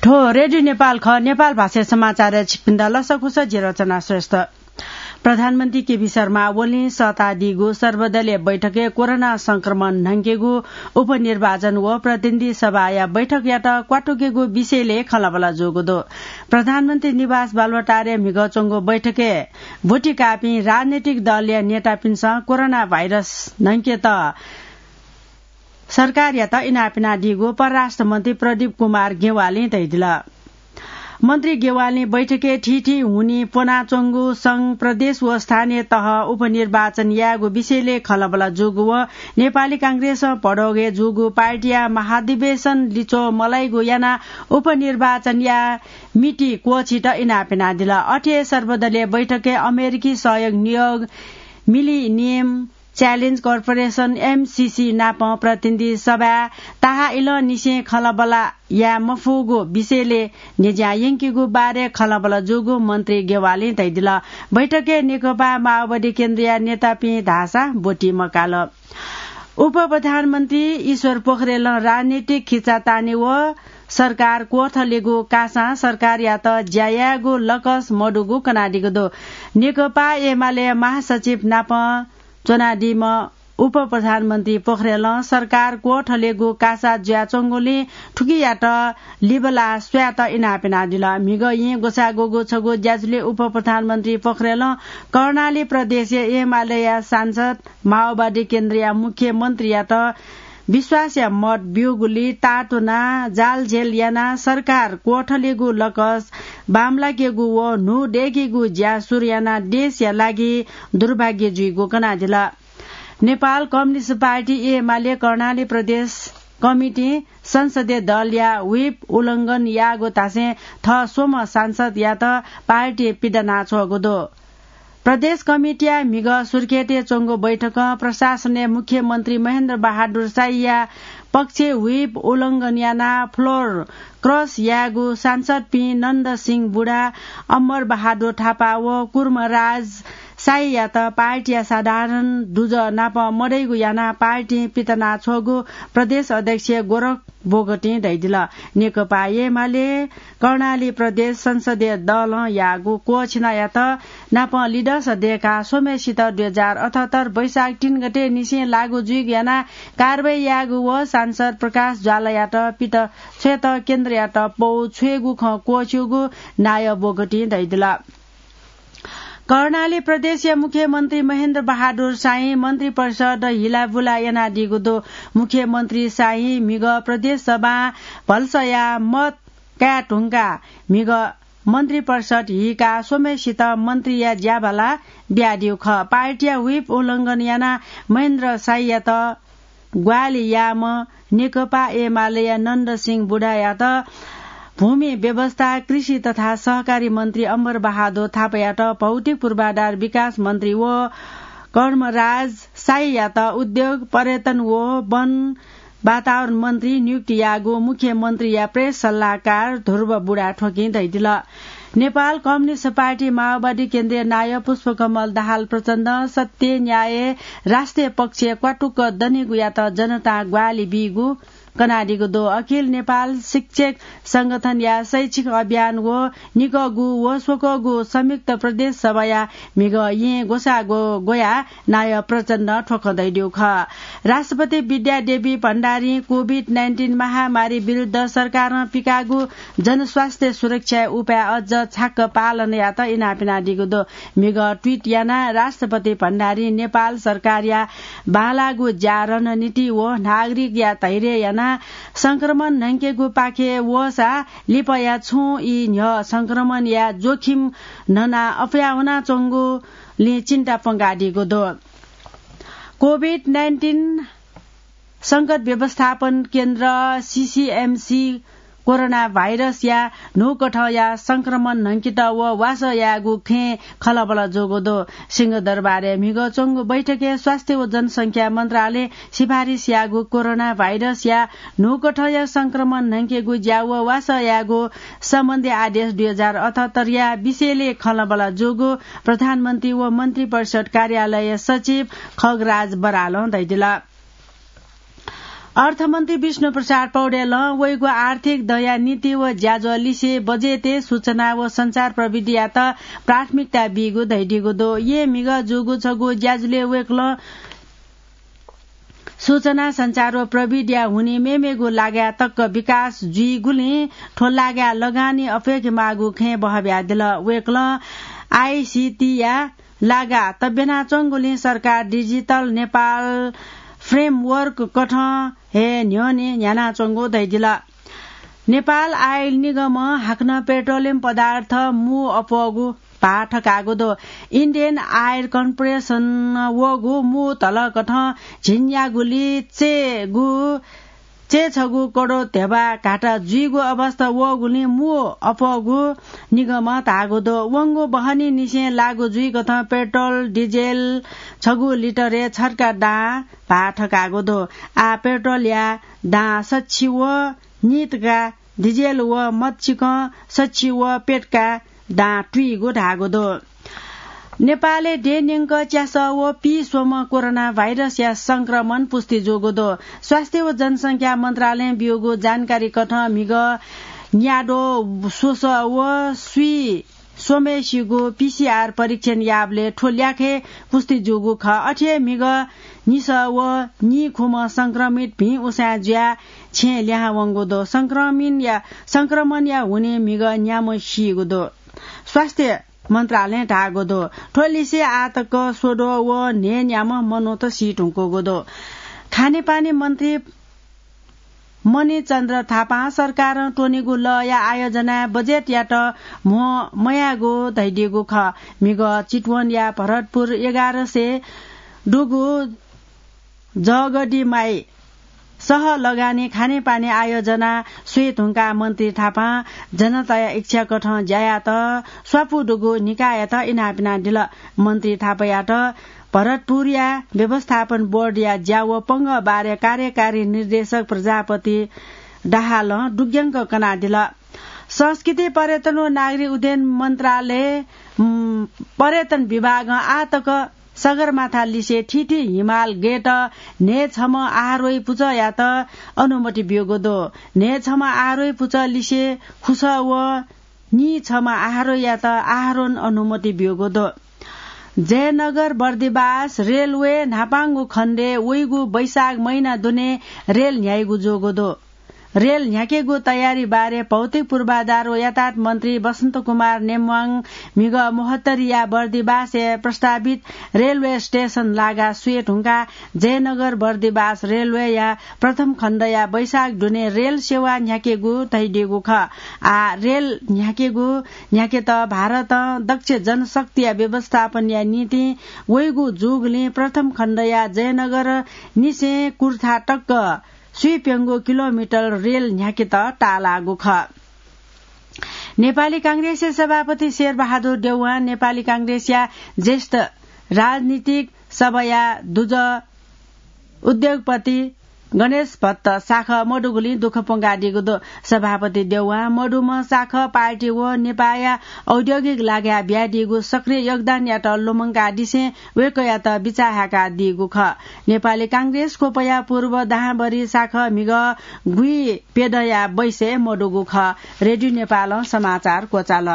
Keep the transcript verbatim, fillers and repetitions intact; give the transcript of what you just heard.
थ्व रेडियो नेपाल खः। नेपाल भाषाय् समाचारय् छिकपिन्त लसकुस, जि रचना श्रेष्ठ। प्रधानमन्त्री केपी शर्मा ओलीं सःतादीगु सर्वदलीय बैठकय् कोरोना संक्रमण न्हंकेगु, उपनिर्वाचन व प्रतिनिधि सभाया बैठकयात क्वातुकेगु विषयलय् खँल्हाबल्हा जूगु दु। प्रधानमन्त्री निवास बालुवाटारय् म्हिगः च्वंगु बैठकय् ब्वति काःपिं राजनैतिक दलया नेतापिन्सं कोरोना भाइरस न्हंकेत सरकारयात इनाप यानादीगु परराष्ट्र मन्त्री प्रदीप कुमार गेवालीं धयादिल। मन्त्री गेवालीं बैठकय् थीथी हुनिं प्वनाच्वंगु संघ, प्रदेश व स्थानीय तह उपनिर्वाचन यायेगु विषयलय् खँल्हाबल्हा जूगु व नेपाली कांग्रेसं भदौगय् जूगु पार्टीया महाधिवेशन लिच्वः मलाइगु यानाः उपनिर्वाचनया मिति क्वःछित इनाप यानादिल। अथे हे सर्वदलीय बैठकय् अमेरिकी सहयोग नियोग मिलिनियम च्यालेन्ज कर्पोरेसन, एमसिसी, नाप प्रतिनिधि सभाय् ताहाः इलंनिसें खँल्हाबल्हा याये मफुगु विषयलय् न्ह्यज्यां यंकीगु बारे खँल्हाबल्हा जूगु मन्त्री गेवालीं धयादिल। बैठकय् नेकपा माओवादी केन्द्रया नेतापिं धाःसा ब्वति मकाल। उपप्रधानमन्त्री ईश्वर पोखरेलं राजनीतिक खिचातानी व सरकार क्वथलेगु कासां सरकारयात ज्या यायेगु लकस मदुगु कनादीगु दु। नेकपा एमाले महासचिव नाप च्वनादीम्ह उपप्रधानमन्त्री पोखरेलं सरकार क्वथलेगु कासा जुयाच्वंगुलिं थुकियात लिबालाः स्वयेत इनाप यानादिल। म्हिगः येँ ग्वसाः ग्वःगु छगू ज्याझ्वलय् उपप्रधानमन्त्री पोखरेलं कर्णाली प्रदेशया एमालेया सांसद, माओवादी केन्द्रया मुख्यमन्त्रीयात विश्वासया मत ब्यूगुली तातुनाः जालझेल यानाः सरकार क्वथलेगु लकस बांमलाकेगु व न्हू दय्केगु ज्या सुरु यानाः देशया लागि दुर्भाग्य जुइगु कनादिल। नेपाल कम्युनिस्ट पार्टी एमाले कर्णाली प्रदेश कमिटीं संसदीय दलया व्हिप उल्लंघन याःगु धासें थः स्वम्ह सांसदयात पार्टीं पिदनाछ्वःगु दु। प्रदेश कमिटीया म्हिगः सुर्खेतय् च्वंगु बैठकं प्रशासनय् मुख्यमन्त्री महेन्द्र बहादुर शाहीया पक्षय् व्हिप उल्लंघन यानाः फ्लोर क्रस याःगु सांसदपिं नन्द सिंह बुढा, अमर बहादुर थापा व कुर्मराज शाहीयात पार्टीया साधारण दुजः नाप मदइगु यानाः पार्टीं पितनाछ्वःगु प्रदेश अध्यक्ष गोरख बोगटिं धयादिल। नेकपा एमाले कर्णाली प्रदेश संसदीय दलं याःगु क्वःछिनायात नाप लिदस दय्काः स्वम्हेसित दुई हजार अठहत्तर वैशाख तीन गते निसें लागू जुइगु यानाः कारवाही याःगु व सांसद प्रकाश ज्वालायात पित छ्वयेत केन्द्रयात पौ छ्वयेगु खँ क्वःछिउगु नायः बोगटिं धयादिल। कर्णाली प्रदेशया मुख्यमन्त्री महेन्द्र बहादुर शाहीं मन्त्रिपरिषद हिलाबुला यानादीगु दु। मुख्यमन्त्री शाहीं म्हिगः प्रदेश सभां भलसया मत काये धुंकाः म्हिगः मन्त्रिपरिषद हीकाः स्वम्हेसित मन्त्रीया ज्याभाला बियादीगु खः। पार्टीया व्हिप उल्लंघन यानाः महेन्द्र शाहीयात ग्वाहालि याःम्ह नेकपा एमालेया नन्द सिंह बुढायात, भूमि व्यवस्था, कृषि तथा सहकारी मन्त्री अमर बहादुर थापायात भौतिक पूर्वाधार विकास मन्त्री व कर्मराज शाहीयात उद्योग, पर्यटन व वन वातावरण मन्त्री नियुक्ति याःगु मुख्यमन्त्रीया प्रेस सल्लाहकार ध्रुव बुढाथोकीं धयादिल। नेपाल कम्युनिस्ट पार्टी माओवादी केन्द्रीय नायः पुष्पकमल दाहाल प्रचण्डं सत्य, न्याय, राष्ट्रिय पक्षय् क्वातुक्क दनेगुयात जनतां ग्वाहालि बीगु कनादीगु दु। अखिल नेपाल शिक्षक संगठनया शैक्षिक अभियान व निकःगु व स्वकःगु संयुक्त प्रदेश सभाया म्हिगः येँ ग्वसाः ग्वयाः नायः प्रचण्डं थ्व खँ धयादीगु खः। राष्ट्रपति विद्यादेवी भण्डारीं कोभिड नाइन्टिन महामारी विरुद्ध सरकारं पिकाःगु जनस्वास्थ्य सुरक्षा उपाय अझ छाक्क पालन यायेत इनाप यानादीगु दु। म्हिगः ट्वीट यानाः राष्ट्रपति भण्डारीं नेपाल सरकारया बांलाःगु ज्या, रणनीति व नागरिकया धैर्य यानाः संक्रमण न्हंकेगु पाखे वःसा लिपाया छुं ई न्ह्यः संक्रमणया जोखिम न्हनाः अप्वया वनाच्वंगुलिं चिन्ता प्वंकादीगु दु। कोभिड नाइन्टिन संकट व्यवस्थापन केन्द्र, सीसीएमसी, कोरोना भाइरसया न्हूकथंया संक्रमण न्हंकेत व वासः यायेगु खँय् खँल्हाबल्हा जूगु दु। सिंहदरबारय् म्हिगः च्वंगु बैठकय् स्वास्थ्य व जनसंख्या मन्त्रालयं सिफारिस याःगु कोरोना भाइरसया न्हूकथंया संक्रमण न्हंकेगु ज्या व वासः यायेगु सम्बन्धी आदेश दुई हजार अठहत्तरया विषयलय् खँल्हाबल्हा जूगु प्रधानमन्त्री व मन्त्रिपरिषद कार्यालय सचिव खगराज बरालं धयादिल। अर्थमन्त्री विष्णुप्रसाद पौडेलं वइगु आर्थिक दँया नीति व ज्याझ्वः लिसे बजेटय् सूचना व सञ्चार प्रविधियात प्राथमिकता बीगु धयादीगु दु। येँ म्हिगः जूगु छगू ज्याझ्वलय् वय्कलं सूचना सञ्चार व प्रविधिया हुनिं मेमेगु लागाय् तक्क विकास जुइगुलिं थ्व लागाय् लगानी अप्वय्केमाःगु खँय् बहबियादिल। वय्कलं आईसीटीया लागा तब्यानाच्वंगुलिं सरकार डिजिटल नेपाल framework कथं हे न्ह्यःने न्ह्यानाच्वंगु धयादिल। नेपाल आयल निगमं हाकनं पेट्रोलियम पदार्थ मू अप्वःगु भाः थकाःगु दु। Indian Oil Corporation वःगु मू धलकथं झिंन्यागुलि चय्गु चय्छगू करोड ध्यबा घाटा जुइगु अवस्था वःगुलिं मू अप्वःगु निगमं धाःगु दु। वंगु बहनीनिसें लागू जुइकथं पेट्रोल, डिजेल छगू लिटरय् छर्का दां भाः थकाःगु दु। आः पेट्रोलया दां सच्छि व नीतका, डिजेल व मच्चिकं सच्छि व प्यतका दां तुइगु धाःगु दु। नेपालय् देय् न्यंक च्यासः व पीस्वम्ह कोरोना भाइरसया संक्रमण पुष्टि जूगु दु। स्वास्थ्य व जनसंख्या मन्त्रालयं ब्यूगु जानकारी कथं म्हिगः न्याद्वः स्वसः व स्वीस्वम्हेसिगु पीसीआर परीक्षण याःबलय् थ्व ल्याखय् पुष्टि जूगु खः। अथे हे म्हिगः निसः व नीखुम्ह संक्रमित भिं उसाँय् जुयाः छेँय् लिहां वंगु दु। संक्रमणया, संक्रमणया हुनिं म्हिगः न्याम्ह सीगु दु। स्वास्थ्य मन्त्रालयं धाःगु दु। थ्व लिसे आः तक स्वद्वः व न्हय्न्याम्ह मनूत सी धुंकूगु दु। खानेपानी मन्त्री मणिचन्द्र थापां सरकारं त्वनीगु लःया आयोजनाय् बजेटयात म्हो मयाःगु धयादीगु खः। म्हिगः चितवनया भरतपुर एघार सय दुगु जगदीमाई सह लगानी खानेपानी आयोजना स्वये धुंकाः मन्त्री थापां जनताया इच्छा कथं ज्या यात स्वापू दुगु निकाययात इनाप यानादिल। मन्त्री थापायात भरतपुरया व्यवस्थापन बोर्डया ज्या व पंगः बारे कार्यकारी निर्देशक प्रजापति दाहालं दुग्यंक कनादिल। संस्कृति, पर्यटन व नागरिक उड्डयन मन्त्रालय, उम्, पर्यटन विभागं आः तक सगरमाथा लिसे थीथी हिमाल गय्त न्हय्छम्ह आहारोही पुचःयात अनुमति ब्यूगु दु। न्हय्छम्ह आहारोही पुचः लिसे खुसः व नीछम्ह आहारोहीयात आहारोहण अनुमति ब्यूगु दु। जयनगर बर्दिवास रेलवे न्हापांगु खण्डय् वइगु वैशाख महिना दुने रेल न्ह्याइगु जूगु दु। रेल न्ह्याकेगु तयारी बारे भौतिक पूर्वाधार व यातायात मन्त्री बसन्त कुमार नेम्वाङ म्हिगः महोत्तरीया बर्दिवासय् प्रस्तावित रेलवे स्टेसन लागा स्वये धुंकाः जयनगर बर्दिवास रेलवेया प्रथम खण्डया वैशाख दुने रेल सेवा न्ह्याकेगु धयादीगु खः। आः रेल न्ह्याकेगु न्ह्याकेत भारतं दक्ष जनशक्तिया व्यवस्थापनया निंतिं वइगु जूगुलिं प्रथम खण्डया जयनगर निसें कुर्था तक स्वीप्यंगू किलोमिटर रेल न्ह्याकेत ताःलाःगु खः। नेपाली कांग्रेसया सभापति शेरबहादुर देउवां नेपाली कांग्रेसया ज्येष्ठ राजनीतिक सभाया दुजः उद्योगपति गणेश भट्ट साखः मदुगुलिं दुःख प्वंकादीगु दु। सभापति देउवां मदुम्ह साखः पार्टी व नेपाःया औद्योगिक लागाय् बियादीगु सक्रिय योगदानयात लुमंकादिसें वय्कःयात बिचाः हाय्कादीगु खः। नेपाली कांग्रेस क्वपया पूर्व दहां बढी साखः म्हिगः गुइप्यदँया बैसय् मदुगु खः। रेडियो नेपालं समाचार क्वचाल।